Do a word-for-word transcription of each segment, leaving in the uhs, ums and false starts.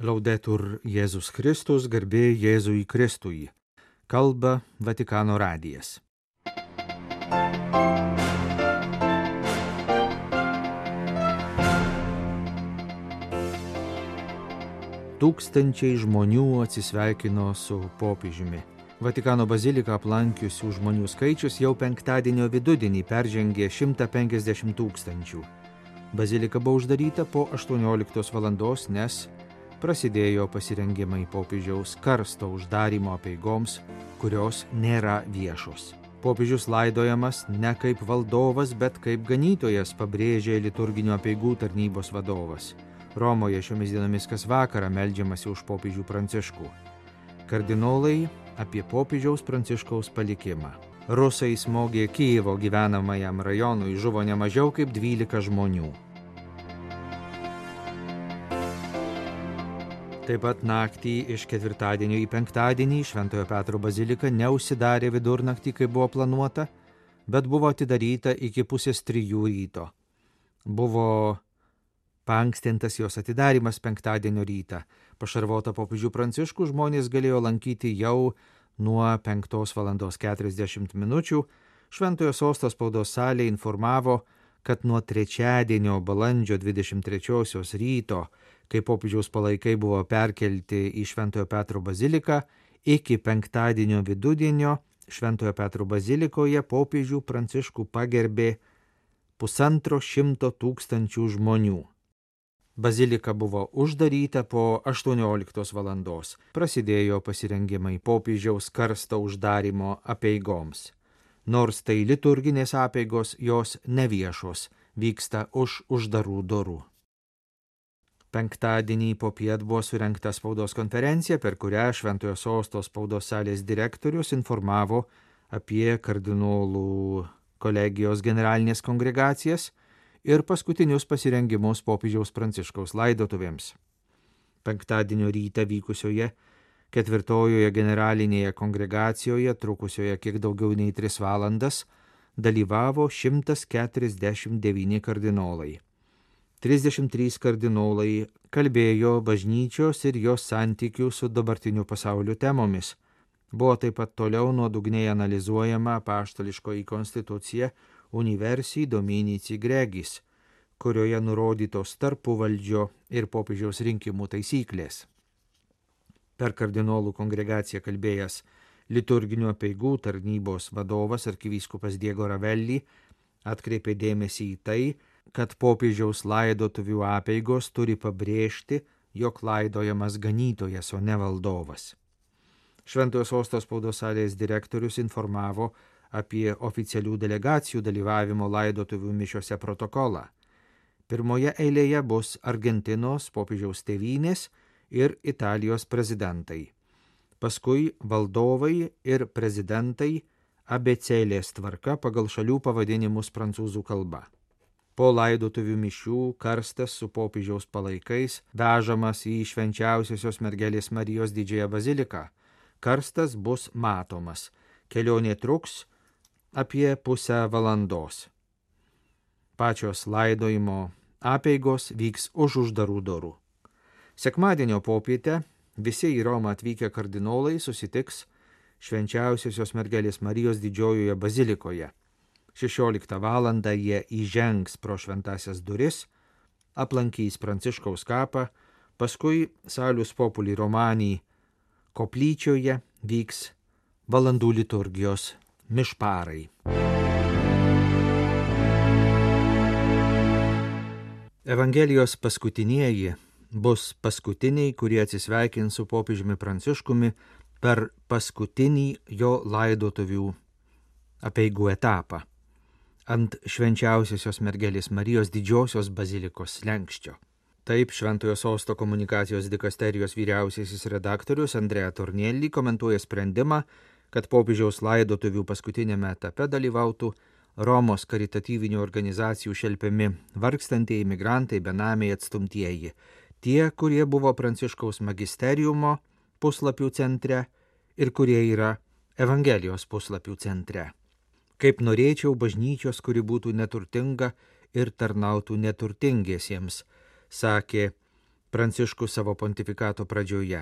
Laudetur Jėzus Kristus, garbė Jėzui Kristui. Kalba Vatikano radijas. Tūkstančiai žmonių atsisveikino su popiežiumi. Vatikano baziliką aplankiusių žmonių skaičius jau penktadienio vidudienį peržengė šimtą penkiasdešimt tūkstančių. Bazilika buvo uždaryta po aštuonioliktos valandos, nes prasidėjo pasirengimai popiežiaus karsto uždarymo apeigoms, kurios nėra viešos. Popiežius laidojamas ne kaip valdovas, bet kaip ganytojas, pabrėžė liturginio apeigų tarnybos vadovas. Romoje šiomis dienomis kas vakarą meldžiamasi už popiežių Pranciškų. Kardinolai apie popiežiaus Pranciškaus palikimą. Rusai smogė Kijevo gyvenamajam rajonui, žuvo ne mažiau kaip dvylika žmonių. Taip pat naktį iš ketvirtadienio į penktadienį Šventojo Petro bazilika neužsidarė vidurnaktį, kaip buvo planuota, bet buvo atidaryta iki pusės trijų ryto. Buvo paankstintas jos atidarimas penktadienio rytą. Pašarvotą popiežių Pranciškų žmonės galėjo lankyti jau nuo penktos valandos keturiasdešimt minučių. Šventojo sosto spaudos salė informavo, kad nuo trečiadienio balandžio dvidešimt trečiosios ryto, kai popiežiaus palaikai buvo perkelti į Šventojo Petro baziliką, iki penktadienio vidudienio Šventojo Petro bazilikoje popiežių Pranciškų pagerbė pusantro šimto tūkstančių žmonių. Bazilika buvo uždaryta po aštuonioliktos valandos. Prasidėjo pasirengimai popiežiaus karsto uždarymo apeigoms. Nors tai liturginės apeigos, jos neviešos, vyksta už uždarų durų. Penktadienį popiet buvo surengta spaudos konferencija, per kurią Šventojo sosto spaudos salės direktorius informavo apie kardinolų kolegijos generalinės kongregacijas ir paskutinius pasirengimus popiežiaus Pranciškaus laidotuvėms. Penktadienio rytą vykusioje ketvirtojoje generalinėje kongregacijoje, trukusioje kiek daugiau nei tris valandas, dalyvavo šimtas keturiasdešimt devyni kardinolai. trisdešimt trys kardinolai kalbėjo bažnyčios ir jos santykių su dabartiniu pasauliu temomis. Buvo taip pat toliau nuodugniai analizuojama apaštališkoji konstitucija Universi Dominici Gregis, kurioje nurodytos tarpuvaldžio ir popiežiaus rinkimų taisyklės. Per kardinolų kongregaciją kalbėjęs liturginių apeigų tarnybos vadovas arkivyskupas Diego Ravelli atkreipė dėmesį į tai, kad popiežiaus laidotuvių apeigos turi pabrėžti, jog laidojamas ganytojas, o ne valdovas. Šventojo sosto spaudos salės direktorius informavo apie oficialių delegacijų dalyvavimo laidotuvių mišiose protokolą. Pirmoje eilėje bus Argentinos popiežiaus tėvynės ir Italijos prezidentai. Paskui valdovai ir prezidentai abėcėlės tvarka pagal šalių pavadinimus prancūzų kalba. Po laidotuvių mišių karstas su popiežiaus palaikais vežamas į Švenčiausiosios mergelės Marijos didžiąją baziliką. Karstas bus matomas. Kelionė truks apie pusę valandos. Pačios laidojimo apeigos vyks už uždarų durų. Sekmadienio popietę visi į Romą atvykę kardinolai susitiks Švenčiausiosios mergelės Marijos didžiojoje bazilikoje. šešioliktą valandą jie įžengs pro šventasias duris, aplankys Pranciškaus kapą, paskui Salus Populi Romani koplyčioje vyks valandų liturgijos mišparai. Evangelijos paskutinieji bus paskutiniai, kurie atsisveikins su popiežiumi Pranciškumi per paskutinį jo laidotuvių apeigų etapą ant Švenčiausiosios mergelės Marijos didžiosios bazilikos slenksčio. Taip Šventojo sosto komunikacijos dikasterijos vyriausiasis redaktorius Andrea Tornielli komentuoja sprendimą, kad popiežiaus laidotuvių paskutinėme etape dalyvautų Romos karitatyvinių organizacijų šelpiami vargstantieji migrantai, benamiai, atstumtieji, tie, kurie buvo Pranciškaus magisteriumo puslapių centre ir kurie yra Evangelijos puslapių centre. Kaip norėčiau bažnyčios, kuri būtų neturtinga ir tarnautų neturtingiesiems, sakė Pranciškus savo pontifikato pradžioje.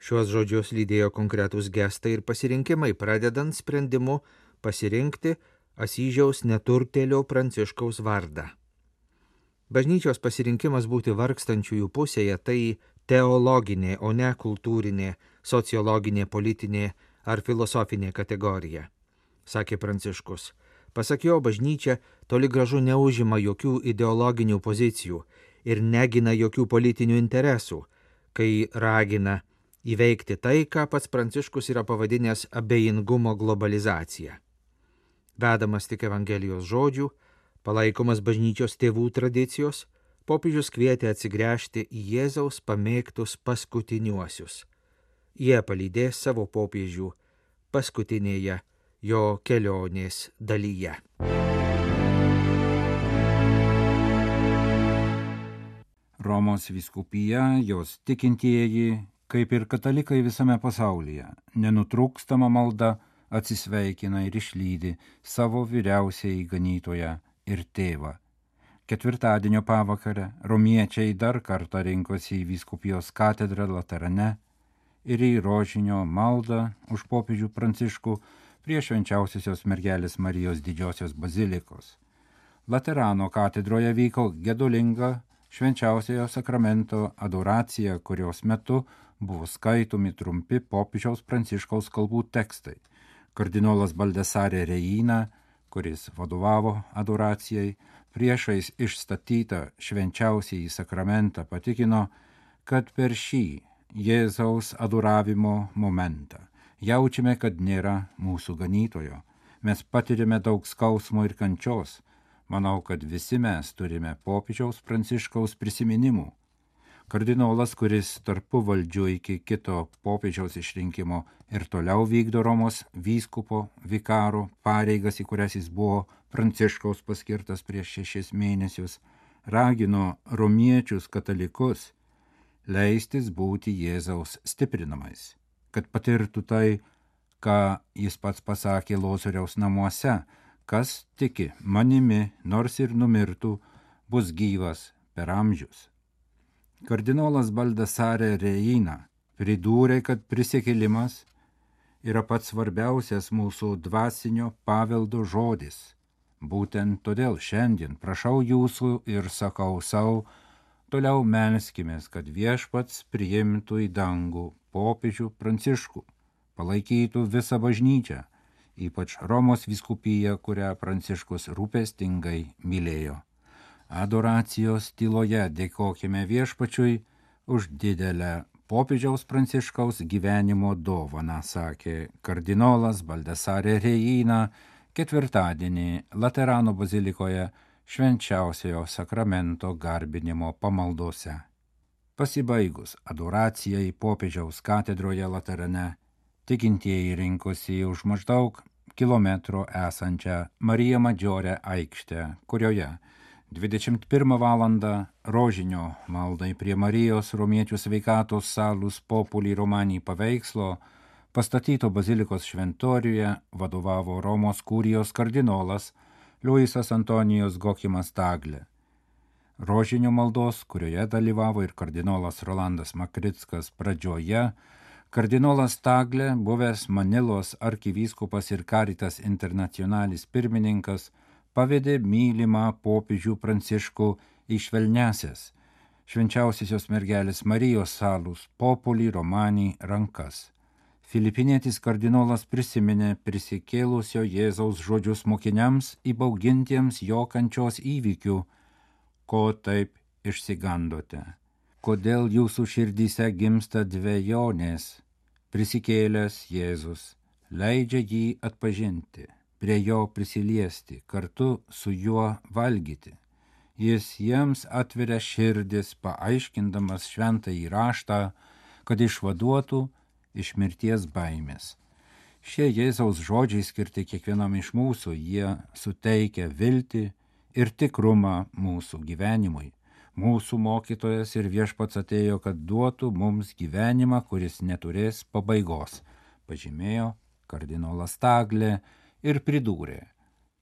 Šiuos žodžius lydėjo konkretūs gestai ir pasirinkimai, pradedant sprendimu pasirinkti Asyžiaus neturtėlio Pranciškaus vardą. Bažnyčios pasirinkimas būti vargstančiųjų pusėje tai teologinė, o ne kultūrinė, sociologinė, politinė ar filosofinė kategorija, sakė Pranciškus. Pasak jo, bažnyčia toli gražu neužima jokių ideologinių pozicijų ir negina jokių politinių interesų, kai ragina įveikti tai, ką pats Pranciškus yra pavadinęs abejingumo globalizacija. Vedamas tik Evangelijos žodžių, palaikomas bažnyčios tėvų tradicijos, popiežius kvietė atsigręžti į Jėzaus pamėgtus paskutiniuosius. Jie palydės savo popiežių paskutinėje jo kelionės dalyje. Romos vyskupija, jos tikintieji, kaip ir katalikai visame pasaulyje, nenutrūkstama malda atsisveikina ir išlydi savo vyriausiąjį ganytoją ir tėvą. Ketvirtadienio pavakarę romiečiai dar kartą rinkosi į vyskupijos katedrą Laterane ir į rožinio maldą už popiežių Pranciškų prie švenčiausiosios mergelės Marijos didžiosios bazilikos. Laterano katedroje vyko gedulinga švenčiausiojo sakramento adoracija, kurios metu buvo skaitomi trumpi popiežiaus Pranciškaus kalbų tekstai. Kardinolas Baldesare Reina, kuris vadovavo adoracijai, priešais išstatytą švenčiausiąjį sakramentą patikino, kad per šį Jėzaus adoravimo momentą jaučiame, kad nėra mūsų ganytojo. Mes patirime daug skausmo ir kančios. Manau, kad visi mes turime popiežiaus Pranciškaus prisiminimų. Kardinolas, kuris tarpu valdžiu iki kito popiežiaus išrinkimo ir toliau vykdo Romos vyskupo vikaro pareigas, į kurias jis buvo Pranciškaus paskirtas prieš šešis mėnesius, ragino romiečius katalikus leistis būti Jėzaus stiprinamais, kad patirtų tai, ką jis pats pasakė Lozoriaus namuose: kas tiki manimi, nors ir numirtų, bus gyvas per amžius. Kardinolas Baldesare Reina pridūrė, kad prisikėlimas yra pats svarbiausias mūsų dvasinio paveldo žodis. Būtent todėl šiandien prašau jūsų ir sakau savo, toliau melskimės, kad viešpats priimtų į dangų popiežių Pranciškų, palaikytų visą bažnyčią, ypač Romos vyskupiją, kurią Pranciškus rūpestingai mylėjo. Adoracijos tyloje dėkokime viešpačiui už didelę popiežiaus Pranciškaus gyvenimo dovaną, sakė kardinolas Baldesare Reina ketvirtadienį Laterano bazilikoje švenčiausiojo sakramento garbinimo pamaldose. Pasibaigus adoracijai popiežiaus katedroje Laterane, tikintieji rinkosi už maždaug kilometro esančią Marija Maggiore aikštę, kurioje dvidešimt pirmą valandą rožinio maldai prie Marijos romiečių sveikatos Salus Populi Romani paveikslo pastatyto bazilikos šventoriuje vadovavo Romos kurijos kardinolas Luisas Antonijos Gokimas Tagle. Rožinio maldos, kurioje dalyvavo ir kardinolas Rolandas Makrickas pradžioje, kardinolas Tagle, buvęs Manilos arkivyskupas ir Caritas Internationalis pirmininkas, pavedė mylimą popiežių Pranciškų į švelniasias švenčiausiosios mergelės Marijos Salus Populi Romani rankas. Filipinietis kardinolas prisiminė prisikėlusio Jėzaus žodžius mokiniams įbaugintiems jo kančios įvykių: ko taip išsigandote? Kodėl jūsų širdyse gimsta dvejonės? Prisikėlęs Jėzus leidžia jį atpažinti, prie jo prisiliesti, kartu su juo valgyti. Jis jiems atveria širdis, paaiškindamas šventąjį raštą, kad išvaduotų iš mirties baimės. Šie Jėzaus žodžiai skirti kiekvienam iš mūsų, jie suteikia viltį ir tikrumą mūsų gyvenimui. Mūsų mokytojas ir viešpats atėjo, kad duotų mums gyvenimą, kuris neturės pabaigos, pažymėjo kardinolas Tagle ir pridūrė: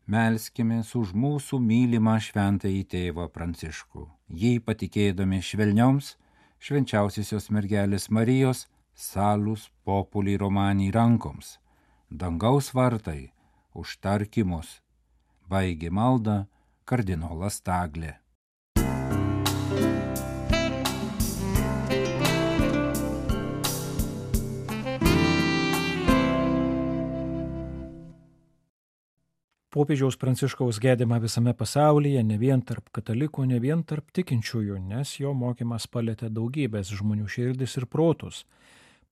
melskimės už mūsų mylimą šventąjį tėvą Pranciškų, jį patikėdami švelnioms švenčiausiosios mergelės Marijos salus populi romani rankoms, dangaus vartai užtarkimus. Baigė maldą kardinolas Taglė. Popiežiaus Pranciškaus gedimą visame pasaulyje, ne vien tarp katalikų, ne vien tarp tikinčiųjų, nes jo mokymas palėtė daugybės žmonių širdis ir protus,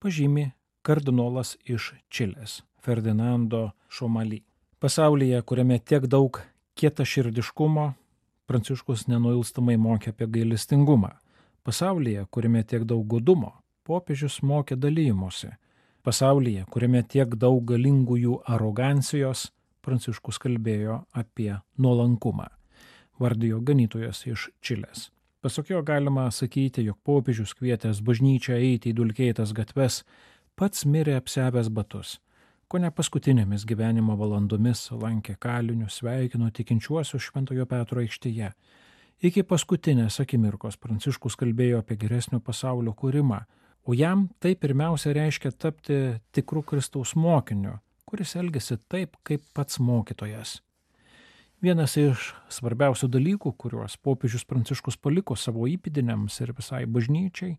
pažymi kardinolas iš Čilės, Ferdinando Šomali. Pasaulyje, kuriame tiek daug kietaširdiškumo, Pranciškus nenuilstamai mokė apie gailestingumą. Pasaulyje, kuriame tiek daug godumo, popiežius mokė dalymosi. Pasaulyje, kuriame tiek daug galingųjų arogancijos, Pranciškus kalbėjo apie nuolankumą, vardijo ganytojas iš Čilės. Pasak jo galima sakyti, jog popiežius kvietęs bažnyčią eiti į dulkėtas gatves, pats mirė apsiavęs batus. Kone paskutinėmis gyvenimo valandomis lankė kalinius, sveikino tikinčiuosius Šventojo Petro aikštėje. Iki paskutinės akimirkos Pranciškus kalbėjo apie geresnio pasaulio kūrimą, o jam tai pirmiausia reiškia tapti tikru Kristaus mokiniu, kuris elgėsi taip, kaip pats mokytojas. Vienas iš svarbiausių dalykų, kuriuos popiežius Pranciškus paliko savo įpėdiniams ir visai bažnyčiai,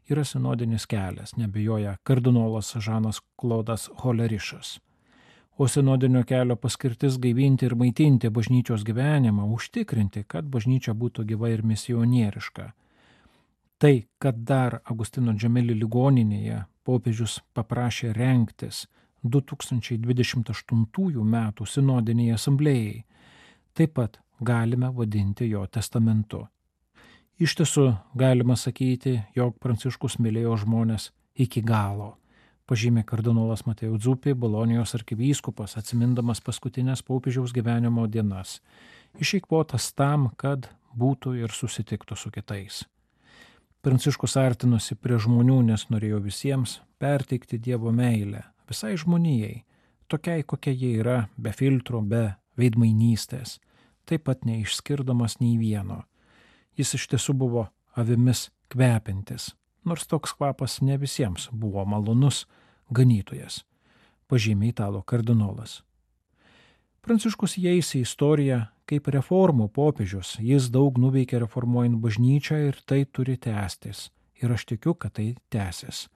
yra sinodinis kelias, neabejoja kardinolas Žanas Klodas Holerišas. O sinodinio kelio paskirtis gaivinti ir maitinti bažnyčios gyvenimą, užtikrinti, kad bažnyčia būtų gyva ir misionieriška. Tai, kad dar Agustino Džemeli ligoninėje popiežius paprašė rengtis du tūkstančiai dvidešimt aštuntųjų metų sinodinėje asamblėjai, taip pat galime vadinti jo testamentu. Iš tiesų galima sakyti, jog Pranciškus mylėjo žmonės iki galo, pažymė kardinolas Mateo Zuppi, Bolonijos arkivyskupas, atsimindamas paskutinės popiežiaus gyvenimo dienas, išeikvotas tam, kad būtų ir susitiktų su kitais. Pranciškus artinosi prie žmonių, nes norėjo visiems perteikti Dievo meilę, visai žmonijai, tokiai kokia jie yra, be filtro, be veidmainystės, taip pat neišskirdamas nei vieno. Jis iš tiesų buvo avimis kvepintis, nors toks kvapas ne visiems buvo malonus ganytojas, pažymė italų kardinolas. Pranciškus įeis į istoriją kaip reformų popiežius, jis daug nuveikė reformuojant bažnyčią ir tai turi tęstis, ir aš tikiu, kad tai tęsis.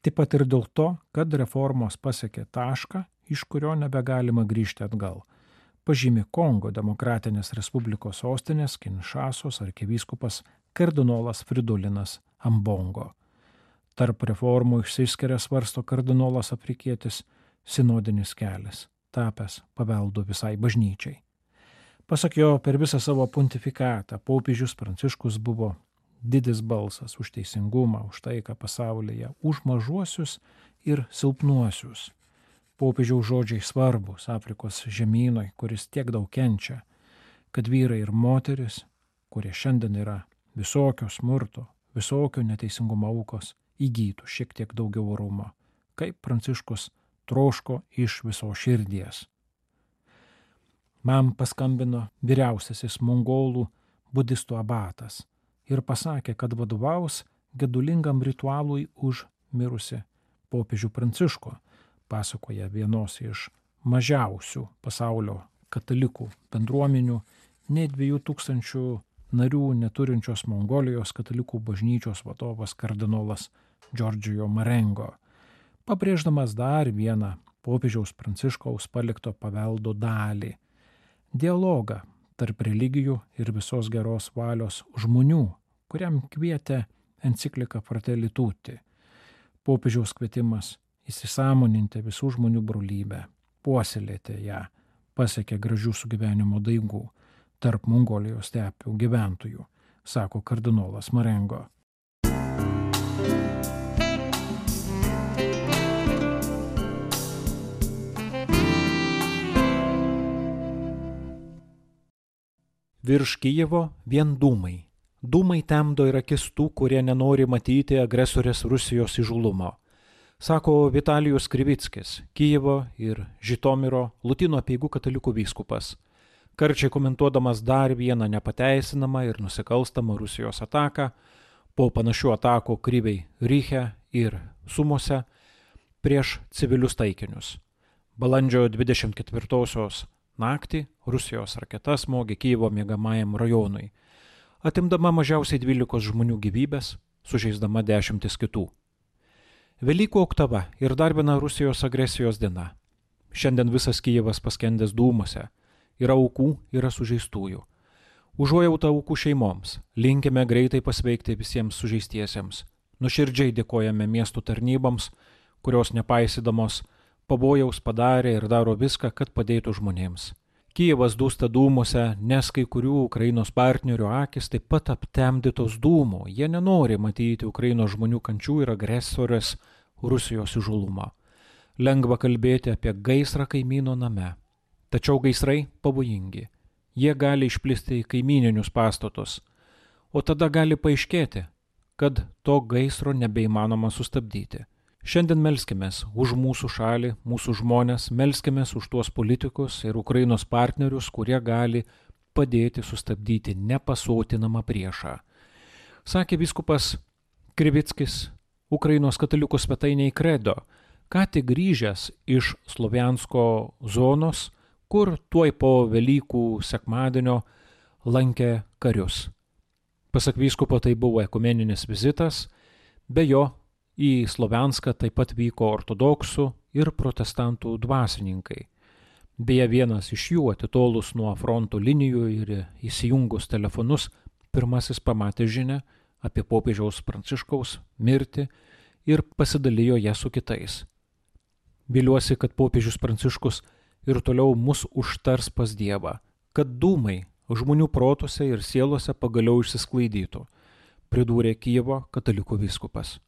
Taip pat ir dėl to, kad reformos pasiekė tašką, iš kurio nebegalima grįžti atgal, pažymė Kongo Demokratinės Respublikos sostinės Kinšasos arkivyskupas kardinolas Fridolinas Ambongo. Tarp reformų išsiskiria, svarsto kardinolas afrikietis, sinodinis kelias, tapęs paveldu visai bažnyčiai. Pasak jo, per visą savo pontifikatą popiežius Pranciškus buvo didis balsas už teisingumą, už taiką pasaulyje, už mažuosius ir silpnuosius. Popiežiaus žodžiai svarbus Afrikos žemynui, kuris tiek daug kenčia, kad vyrai ir moteris, kurie šiandien yra visokio smurto, visokio neteisingumo aukos, įgytų šiek tiek daugiau orumo, kaip Pranciškus troško iš viso širdies. Man paskambino vyriausiasis mongolų budistų abatas ir pasakė, kad vadovaus gedulingam ritualui už mirusi popiežių Pranciškų, pasakoja vienos iš mažiausių pasaulio katalikų bendruomenių, nei dviejų tūkstančių narių neturinčios Mongolijos katalikų bažnyčios vadovas kardinolas Džordžijo Marengo, pabrėždamas dar vieną popiežiaus Pranciškaus palikto paveldo dalį – dialogą tarp religijų ir visos geros valios žmonių, kuriam kvietė enciklika Fratelli Tutti. Popiežiaus kvietimas įsisąmoninti visų žmonių brolybę, puoselėti ją, pasiekė gražių sugyvenimo daigų tarp Mongolijos stepių gyventojų, sako kardinolas Marengo. Virš Kijevo vien dūmai. Dūmai temdo ir akis tų, kurie nenori matyti agresorės Rusijos įžūlumo, sako Vitalijus Krivickis, Kijevo ir Žitomiro Lotynų apeigų katalikų vyskupas, karčiai komentuodamas dar vieną nepateisinamą ir nusikalstamą Rusijos ataką, po panašių atakų Kryvei Riche ir Sumose prieš civilius taikinius. Balandžio dvidešimt ketvirtosios naktį Rusijos raketa smogė Kijevo miegamajam rajonui, atimdama mažiausiai dvylikos žmonių gyvybės, sužeisdama dešimtis kitų. Velykų oktava ir dar viena Rusijos agresijos diena. Šiandien visas Kijevas paskendęs dūmuose. Yra aukų, yra sužeistųjų. Užuojautą aukų šeimoms, linkime greitai pasveikti visiems sužeistiesiems. Nuširdžiai dėkojame miestų tarnyboms, kurios nepaisydamos pavojaus padarė ir daro viską, kad padėtų žmonėms. Kijevas dūsta dūmuose, nes kai kurių Ukrainos partnerių akis taip pat aptemdytos dūmų. Jie nenori matyti Ukrainos žmonių kančių ir agresorės Rusijos įžūlumą. Lengva kalbėti apie gaisrą kaimyno name. Tačiau gaisrai pavojingi. Jie gali išplisti į kaimyninius pastatus. O tada gali paaiškėti, kad to gaisro nebeįmanoma sustabdyti. Šiandien melskimės už mūsų šalį, mūsų žmonės, melskimės už tuos politikus ir Ukrainos partnerius, kurie gali padėti sustabdyti nepasotinamą priešą. Sakė vyskupas Krivickis Ukrainos katalikų svetainėje Credo, ką tik grįžęs iš Sloviansko zonos, kur tuoj po Velykų sekmadienio lankė karius. Pasak vyskupo, tai buvo ekumeninis vizitas, be jo į Slovianską taip pat vyko ortodoksų ir protestantų dvasininkai. Beje, vienas iš jų, atitolus nuo fronto linijų ir įsijungus telefonus, pirmasis pamatė žinią apie popiežiaus Pranciškaus mirtį ir pasidalijo ją su kitais. Viliuosi, kad popiežius Pranciškus ir toliau mus užtars pas Dievą, kad dūmai žmonių protuose ir sielose pagaliau išsisklaidytų, pridūrė Kijevo katalikų vyskupas.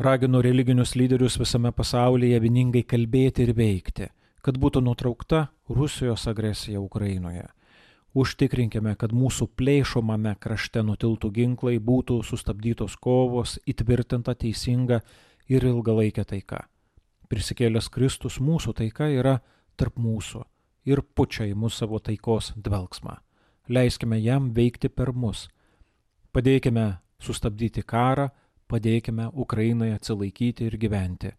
Ragino religinius lyderius visame pasaulyje vieningai kalbėti ir veikti, kad būtų nutraukta Rusijos agresija Ukrainoje. Užtikrinkime, kad mūsų plėšomame krašte nutiltų ginklai, būtų sustabdytos kovos, įtvirtinta teisinga ir ilgalaikė taika. Prisikėlęs Kristus mūsų taika yra tarp mūsų ir pučia į mus savo taikos dvelgsmą. Leiskime jam veikti per mus. Padėkime sustabdyti karą, padėkime Ukrainai atsilaikyti ir gyventi.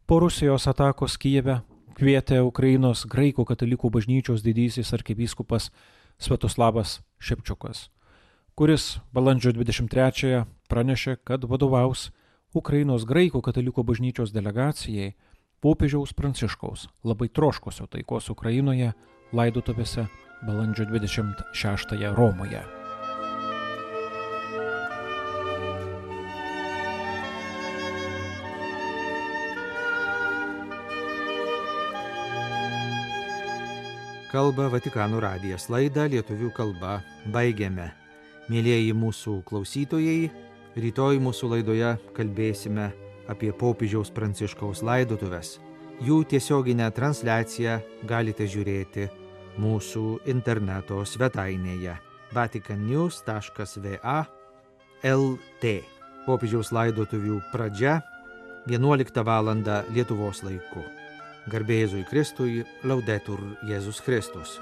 Po Rusijos atakos Kijeve kvietė Ukrainos graikų katalikų bažnyčios didysis arkivyskupas Sviatoslavas Šepčiukas, kuris balandžio dvidešimt trečiąją pranešė, kad vadovaus Ukrainos graikų katalikų bažnyčios delegacijai popiežiaus Pranciškaus labai troškusio taikos Ukrainoje laidotuvėse balandžio dvidešimt šeštąją Romoje. Kalba Vatikano radijas, laidą lietuvių kalba baigiame. Mėlieji mūsų klausytojai, rytoj mūsų laidoje kalbėsime apie popiežiaus Pranciškaus laidotuves. Jų tiesioginę transliaciją galite žiūrėti mūsų interneto svetainėje vatican news taškas v a el t. Popiežiaus laidotuvių pradžia vienuoliktą valandą Lietuvos laiku. Garbė Jėzui Kristui, Laudetur Jėzus Kristus.